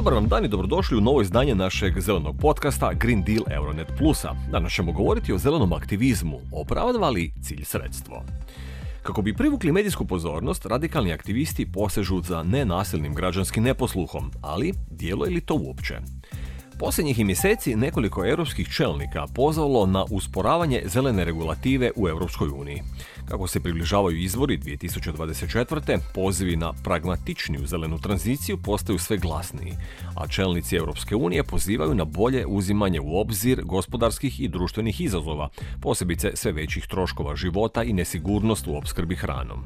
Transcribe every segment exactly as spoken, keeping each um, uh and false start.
Dobar vam dan i dobrodošli u novo izdanje našeg zelenog podcasta Green Deal Euronet Plusa. Danas ćemo govoriti o zelenom aktivizmu, opravdava li cilj sredstvo. Kako bi privukli medijsku pozornost, radikalni aktivisti posežu za nenasilnim građanskim neposluhom, ali djeluje li to uopće? Posljednjih je mjeseci nekoliko europskih čelnika pozvalo na usporavanje zelene regulative u Europskoj uniji. Kako se približavaju izbori dvije tisuće dvadeset četvrte. pozivi na pragmatičniju zelenu tranziciju postaju sve glasniji, a čelnici Europske unije pozivaju na bolje uzimanje u obzir gospodarskih i društvenih izazova, posebice sve većih troškova života i nesigurnost u opskrbi hranom.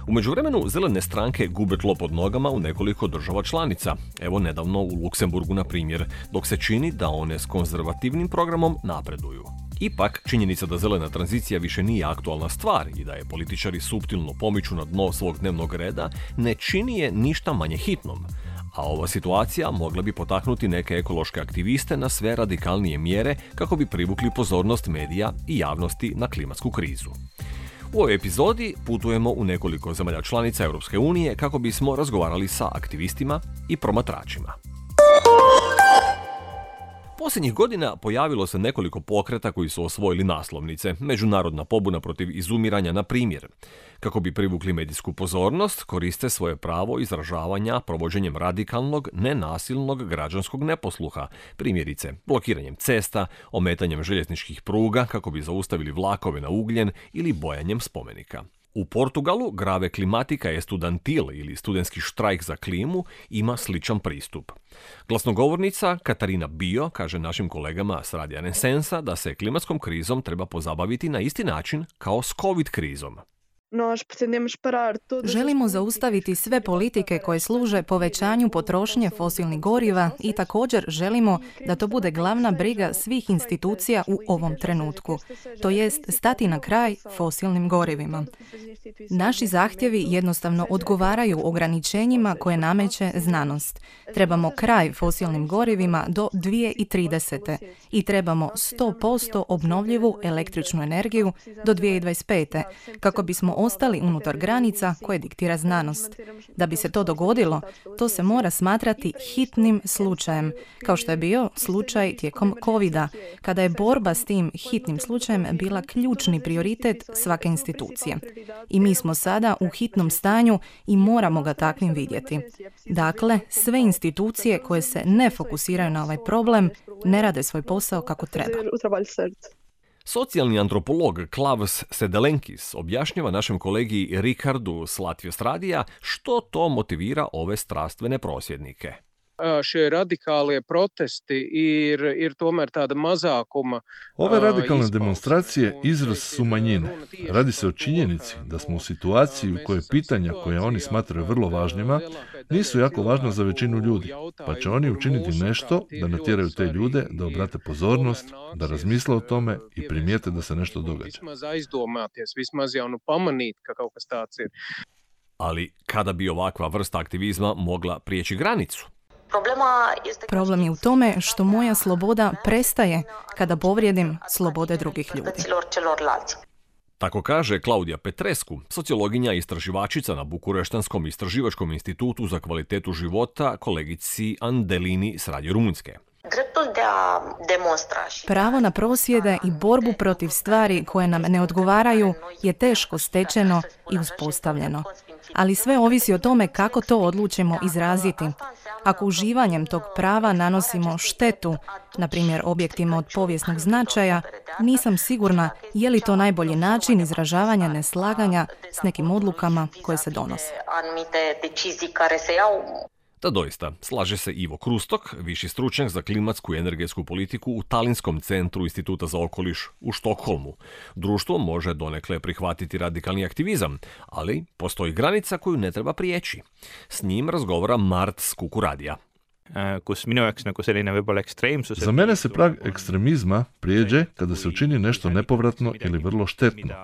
U međuvremenu zelene stranke gube tlo pod nogama u nekoliko država članica, evo nedavno u Luksemburgu na primjer, dok se čini da one s konzervativnim programom napreduju. Ipak, činjenica da zelena tranzicija više nije aktualna stvar i da je političari suptilno pomiču na dno svog dnevnog reda, ne čini je ništa manje hitnom. A ova situacija mogla bi potaknuti neke ekološke aktiviste na sve radikalnije mjere kako bi privukli pozornost medija i javnosti na klimatsku krizu. U ovoj epizodi putujemo u nekoliko zemalja članica Europske unije kako bismo razgovarali sa aktivistima i promatračima. Posljednjih godina pojavilo se nekoliko pokreta koji su osvojili naslovnice, međunarodna pobuna protiv izumiranja na primjer. Kako bi privukli medijsku pozornost, koriste svoje pravo izražavanja provođenjem radikalnog, nenasilnog građanskog neposluha, primjerice blokiranjem cesta, ometanjem željezničkih pruga kako bi zaustavili vlakove na ugljen ili bojanjem spomenika. U Portugalu Grave Climatica Estudantil ili studentski štrajk za klimu ima sličan pristup. Glasnogovornica Katarina Bio kaže našim kolegama s Radija Renesansa da se klimatskom krizom treba pozabaviti na isti način kao s COVID krizom. Želimo zaustaviti sve politike koje služe povećanju potrošnje fosilnih goriva i također želimo da to bude glavna briga svih institucija u ovom trenutku, to jest stati na kraj fosilnim gorivima. Naši zahtjevi jednostavno odgovaraju ograničenjima koje nameće znanost. Trebamo kraj fosilnim gorivima do dvije tisuće tridesete. i trebamo sto posto obnovljivu električnu energiju do dvije tisuće dvadeset pete. kako bismo ostali unutar granica koje diktira znanost. Da bi se to dogodilo, to se mora smatrati hitnim slučajem, kao što je bio slučaj tijekom covida, kada je borba s tim hitnim slučajem bila ključni prioritet svake institucije. I mi smo sada u hitnom stanju i moramo ga takvim vidjeti. Dakle, sve institucije koje se ne fokusiraju na ovaj problem ne rade svoj posao kako treba. Socijalni antropolog Klavs Sedelenkis objašnjava našem kolegi Rikardu s Latvijos radija što to motivira ove strastvene prosvjednike. Šie radikālie protesti ir, ir tomēr tāda mazākuma. Ove radikalne demonstracije izraz su manjine. Radi se o činjenici da smo u situaciji u kojoj pitanja koja oni smatraju vrlo važnima nisu jako važna za većinu ljudi, pa će oni učiniti nešto da natjeraju te ljude da obrate pozornost, da razmisle o tome i primijete da se nešto događa. Ali kada bi ovakva vrsta aktivizma mogla prijeći granicu? Problem je u tome što moja sloboda prestaje kada povrijedim slobode drugih ljudi. Tako kaže Klaudija Petrescu, sociologinja i istraživačica na Bukureštanskom istraživačkom institutu za kvalitetu života, kolegici Andelini s Radio Rumunjske. Pravo na prosvjede i borbu protiv stvari koje nam ne odgovaraju je teško stečeno i uspostavljeno. Ali sve ovisi o tome kako to odlučimo izraziti. Ako uživanjem tog prava nanosimo štetu, na primjer objektima od povijesnog značaja, nisam sigurna je li to najbolji način izražavanja neslaganja s nekim odlukama koje se donose. Da doista, slaže se Ivo Krustok, viši stručnjak za klimatsku i energetsku politiku u Talinskom centru Instituta za okoliš u Štokholmu. Društvo može donekle prihvatiti radikalni aktivizam, ali postoji granica koju ne treba prijeći. S njim razgovara Mart s Kuku radija. Za mene se prag ekstremizma prijeđe kada se učini nešto nepovratno ili vrlo štetno.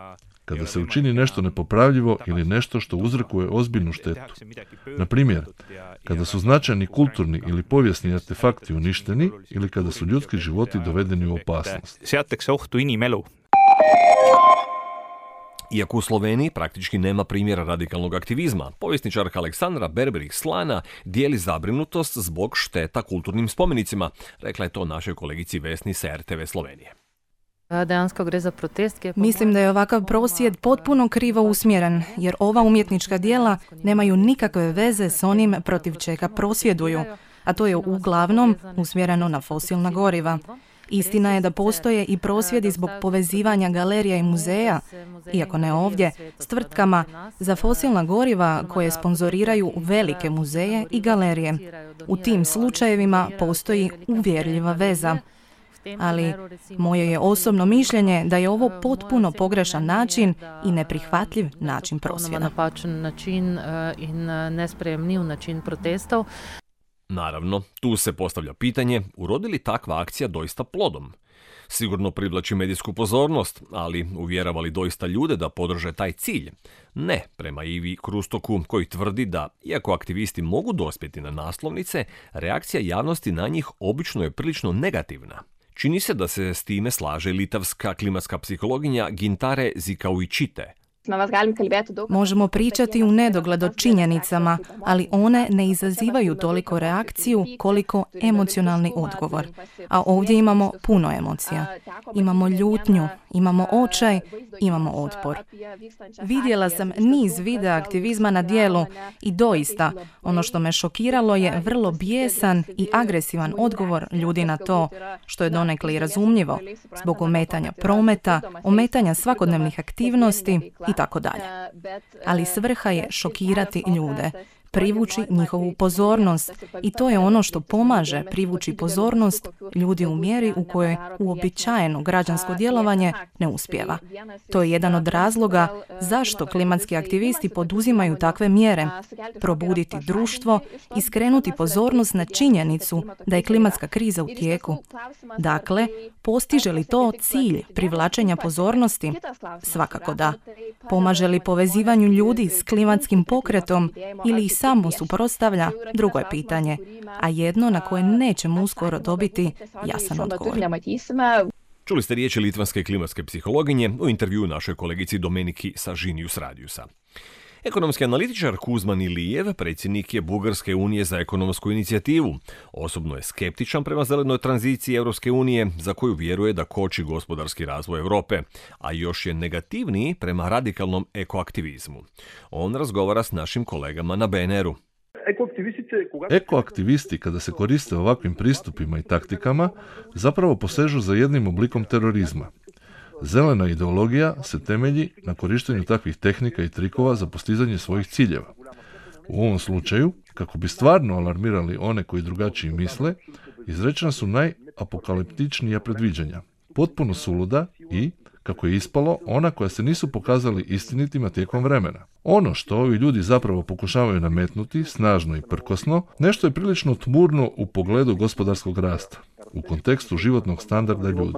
Kada se učini nešto nepopravljivo ili nešto što uzrokuje ozbiljnu štetu. Na primjer, kada su značajni kulturni ili povijesni artefakti uništeni ili kada su ljudski životi dovedeni u opasnost. Iako u Sloveniji praktički nema primjera radikalnog aktivizma, povjesničarka Aleksandra Berberich-Slana dijeli zabrinutost zbog šteta kulturnim spomenicima, rekla je to našoj kolegici Vesni sa er te ve Slovenije. Mislim da je ovakav prosvjed potpuno krivo usmjeren, jer ova umjetnička djela nemaju nikakve veze s onim protiv čega prosvjeduju, a to je uglavnom usmjereno na fosilna goriva. Istina je da postoje i prosvjedi zbog povezivanja galerija i muzeja, iako ne ovdje, s tvrtkama za fosilna goriva koje sponzoriraju velike muzeje i galerije. U tim slučajevima postoji uvjerljiva veza. Ali moje je osobno mišljenje da je ovo potpuno pogrešan način i neprihvatljiv način prosvjeda. Naravno, tu se postavlja pitanje, urodi li takva akcija doista plodom? Sigurno privlači medijsku pozornost, ali uvjerava li doista ljude da podrže taj cilj? Ne, prema Ivi Krustoku, koji tvrdi da, iako aktivisti mogu dospjeti na naslovnice, reakcija javnosti na njih obično je prilično negativna. Čini se da se s time slaže litavska klimatska psihologinja Gintare Zikauičite. Možemo pričati u nedogled o činjenicama, ali one ne izazivaju toliko reakciju koliko emocionalni odgovor. A ovdje imamo puno emocija. Imamo ljutnju, imamo očaj, imamo otpor. Vidjela sam niz videa aktivizma na djelu i doista, ono što me šokiralo je vrlo bijesan i agresivan odgovor ljudi na to, što je donekle i razumljivo, zbog ometanja prometa, ometanja svakodnevnih aktivnosti i tako dalje. Ali svrha je šokirati ljude, privući njihovu pozornost i to je ono što pomaže privući pozornost ljudi u mjeri u kojoj uobičajeno građansko djelovanje ne uspijeva. To je jedan od razloga zašto klimatski aktivisti poduzimaju takve mjere. Probuditi društvo i skrenuti pozornost na činjenicu da je klimatska kriza u tijeku. Dakle, postiže li to cilj privlačenja pozornosti? Svakako da. Pomaže li povezivanju ljudi s klimatskim pokretom ili ih samo suprotstavlja? Drugo je pitanje, a jedno na koje nećemo uskoro dobiti jasan odgovor. Čuli ste riječi litvanske klimatske psihologinje u intervjuu našoj kolegici Domeniki sa Žinius Radiusa. Ekonomski analitičar Kuzman Ilijev, predsjednik je Bugarske unije za ekonomsku inicijativu. Osobno je skeptičan prema zelenoj tranziciji Europske unije, za koju vjeruje da koči gospodarski razvoj Europe, a još je negativniji prema radikalnom ekoaktivizmu. On razgovara s našim kolegama na be en eru. Ekoaktivisti, kada se koriste ovakvim pristupima i taktikama, zapravo posežu za jednim oblikom terorizma. Zelena ideologija se temelji na korištenju takvih tehnika i trikova za postizanje svojih ciljeva. U ovom slučaju, kako bi stvarno alarmirali one koji drugačiji misle, izrečena su najapokaliptičnija predviđanja, potpuno suluda i, kako je ispalo, ona koja se nisu pokazali istinitima tijekom vremena. Ono što ovi ljudi zapravo pokušavaju nametnuti, snažno i prkosno, nešto je prilično tmurno u pogledu gospodarskog rasta, u kontekstu životnog standarda ljudi.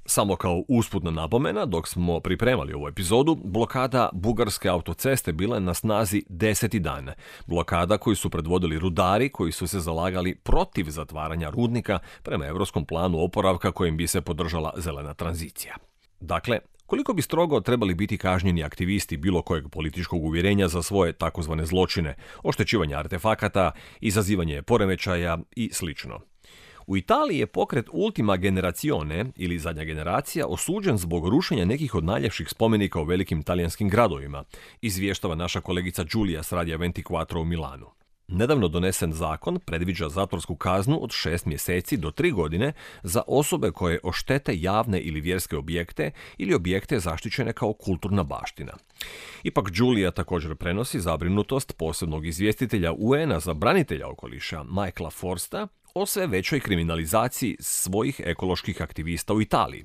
Samo kao usputna napomena, dok smo pripremali ovu epizodu, blokada bugarske autoceste bila je na snazi deseti dan. Blokada koju su predvodili rudari koji su se zalagali protiv zatvaranja rudnika prema europskom planu oporavka kojim bi se podržala zelena tranzicija. Dakle, koliko bi strogo trebali biti kažnjeni aktivisti bilo kojeg političkog uvjerenja za svoje takozvane zločine, oštećivanje artefakata, izazivanje poremećaja i slično. U Italiji je pokret Ultima Generazione, ili zadnja generacija, osuđen zbog rušenja nekih od najljepših spomenika u velikim talijanskim gradovima, izvještava naša kolegica Giulia s Radija dvadesет četiri u Milanu. Nedavno donesen zakon predviđa zatvorsku kaznu od šest mjeseci do tri godine za osobe koje oštete javne ili vjerske objekte ili objekte zaštićene kao kulturna baština. Ipak Giulia također prenosi zabrinutost posebnog izvjestitelja u en a za branitelja okoliša Michaela Forsta o sve većoj kriminalizaciji svojih ekoloških aktivista u Italiji.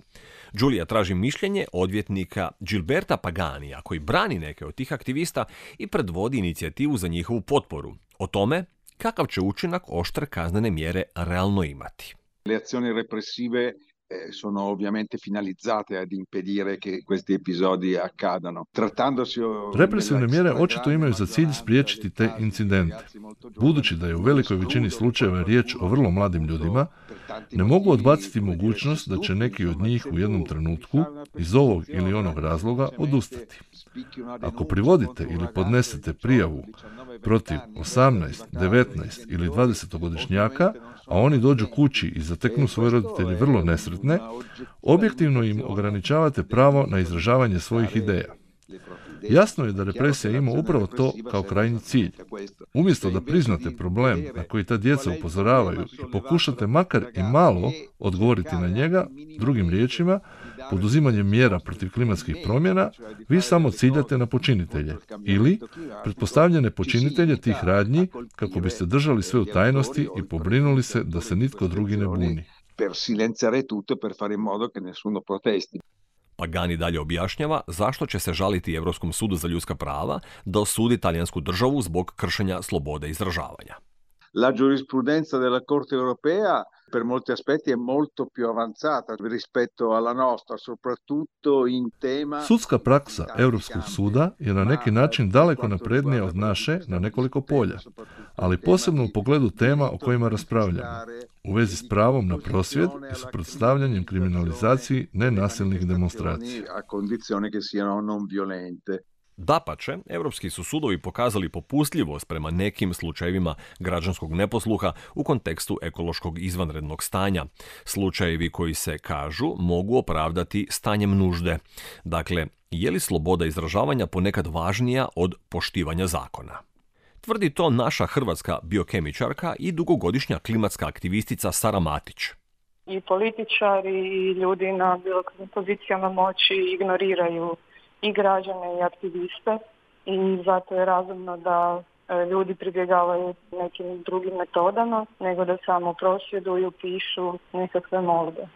Giulia traži mišljenje odvjetnika Gilberta Paganija, koji brani neke od tih aktivista i predvodi inicijativu za njihovu potporu. O tome kakav će učinak oštre kaznene mjere realno imati. Le azioni repressive sono ovviamente finalizzate ad impedire che questi episodi accadano. Trattandosi o Represivne mjere očito imaju za cilj spriječiti te incidente. Budući da je u velikoj većini slučajeva riječ o vrlo mladim ljudima, ne mogu odbaciti mogućnost da će neki od njih u jednom trenutku iz ovog ili onog razloga odustati. Ako privodite ili podnesete prijavu protiv osamnaest, devetnaest ili dvadesetogodišnjaka, a oni dođu kući i zateknu svoje roditelje vrlo nesretne, objektivno im ograničavate pravo na izražavanje svojih ideja. Jasno je da represija ima upravo to kao krajnji cilj. Umjesto da priznate problem na koji ta djeca upozoravaju i pokušate makar i malo odgovoriti na njega, drugim riječima, poduzimanjem mjera protiv klimatskih promjena, vi samo ciljate na počinitelje ili pretpostavljene počinitelje tih radnji kako biste držali sve u tajnosti i pobrinuli se da se nitko drugi ne buni. Per silenziare tutto, per fare in modo che nessuno protesti. Pagani dalje objašnjava zašto će se žaliti Europskom sudu za ljudska prava da osudi talijansku državu zbog kršenja slobode izražavanja. La giurisprudenza della Corte Europea per molti aspetti è molto più avanzata rispetto alla nostra, soprattutto in tema... Sudska praksa Europskog suda je na neki način daleko naprednija od naše na nekoliko polja, ali posebno u pogledu tema o kojima raspravljamo, u vezi s pravom na prosvjed i suprotstavljanjem kriminalizaciji nenasilnih demonstracija. A condizione che siano non violente. Dapače, europski su sudovi pokazali popustljivost prema nekim slučajevima građanskog neposluha u kontekstu ekološkog izvanrednog stanja. Slučajevi koji se, kažu, mogu opravdati stanjem nužde. Dakle, je li sloboda izražavanja ponekad važnija od poštivanja zakona? Tvrdi to naša hrvatska biokemičarka i dugogodišnja klimatska aktivistica Sara Matić. I političari i ljudi na bilo kojim pozicijama moći ignoriraju i građane i aktiviste i zato je razumno da ljudi pribjegavaju nekim drugim metodama nego da samo prosvjeduju, pišu nekakve molbe.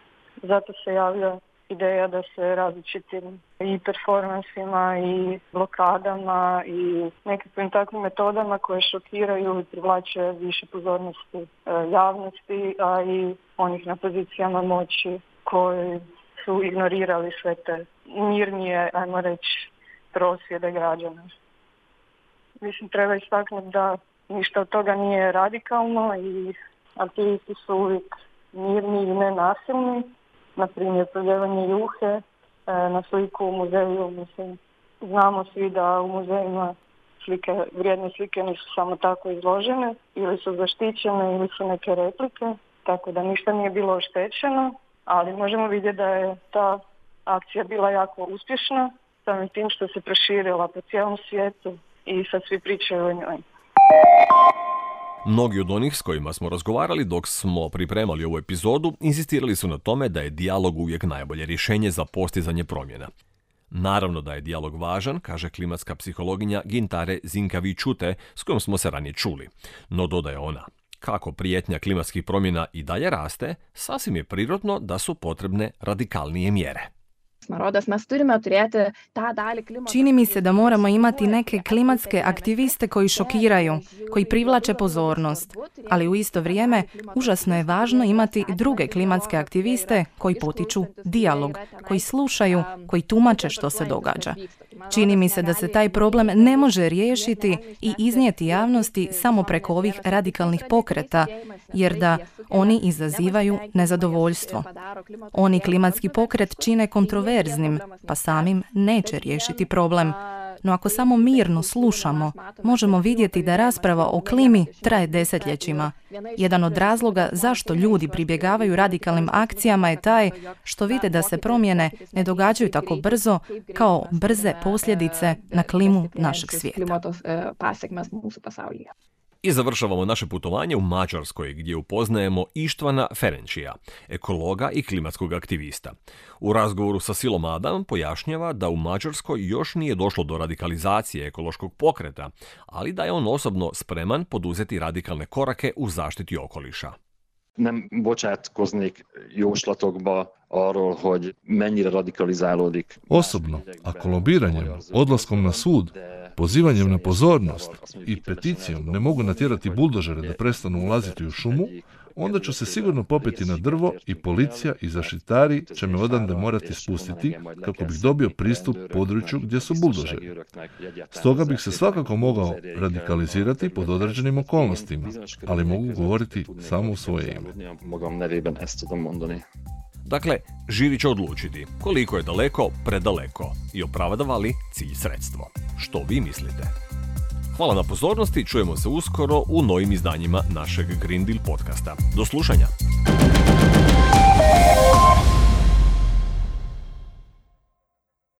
Zato se javlja ideja da se različitim i performansima i blokadama i nekakvim takvim metodama koje šokiraju i privlače više pozornosti javnosti, a i onih na pozicijama moći koji su ignorirali sve te mirnije, ajmo reći, prosvjede građana. Mislim, treba istaknuti da ništa od toga nije radikalno i aktivisti su uvijek mirni i nenasilni. Na primjer, proljevanje juhe na sliku u muzeju. Mislim, znamo svi da u muzejima slike, vrijedne slike nisu samo tako izložene, ili su zaštićene ili su neke replike, tako da ništa nije bilo oštećeno, ali možemo vidjeti da je ta akcija bila jako uspješna, samim tim što se proširila po cijelom svijetu i sad svi pričaju o njoj. Mnogi od onih s kojima smo razgovarali dok smo pripremali ovu epizodu insistirali su na tome da je dijalog uvijek najbolje rješenje za postizanje promjena. Naravno da je dijalog važan, kaže klimatska psihologinja Gintare Zinkavi-Čute s kojom smo se ranije čuli. No, dodaje ona, kako prijetnja klimatskih promjena i dalje raste, sasvim je prirodno da su potrebne radikalnije mjere. Čini mi se da moramo imati neke klimatske aktiviste koji šokiraju, koji privlače pozornost, ali u isto vrijeme užasno je važno imati druge klimatske aktiviste koji potiču dijalog, koji slušaju, koji tumače što se događa. Čini mi se da se taj problem ne može riješiti i iznijeti javnosti samo preko ovih radikalnih pokreta, jer da oni izazivaju nezadovoljstvo. Oni klimatski pokret čine kontroverznim, pa samim neće riješiti problem. No ako samo mirno slušamo, možemo vidjeti da rasprava o klimi traje desetljećima. Jedan od razloga zašto ljudi pribjegavaju radikalnim akcijama je taj što vide da se promjene ne događaju tako brzo kao brze posljedice na klimu našeg svijeta. I završavamo naše putovanje u Mađarskoj gdje upoznajemo Ištvana Ferenčija, ekologa i klimatskog aktivista. U razgovoru sa Silom Adam pojašnjava da u Mađarskoj još nije došlo do radikalizacije ekološkog pokreta, ali da je on osobno spreman poduzeti radikalne korake u zaštiti okoliša. Nem bocsátkoznék jóslatokba arról, hogy mennyire radikalizálódik. Osobno, ako lobiranjem, odlaskom na sud, pozivanjem na pozornost i peticijom ne mogu natjerati buldožere da prestanu ulaziti u šumu, onda ću se sigurno popeti na drvo i policija i zaštitari će me odande morati spustiti kako bih dobio pristup području gdje su buldožeri. Stoga bih se svakako mogao radikalizirati pod određenim okolnostima, ali mogu govoriti samo u svoje ime. Dakle, žiri će odlučiti koliko je daleko predaleko i opravdava li cilj sredstvo. Što vi mislite? Hvala na pozornosti, čujemo se uskoro u novim izdanjima našeg Green Deal podcasta. Do slušanja!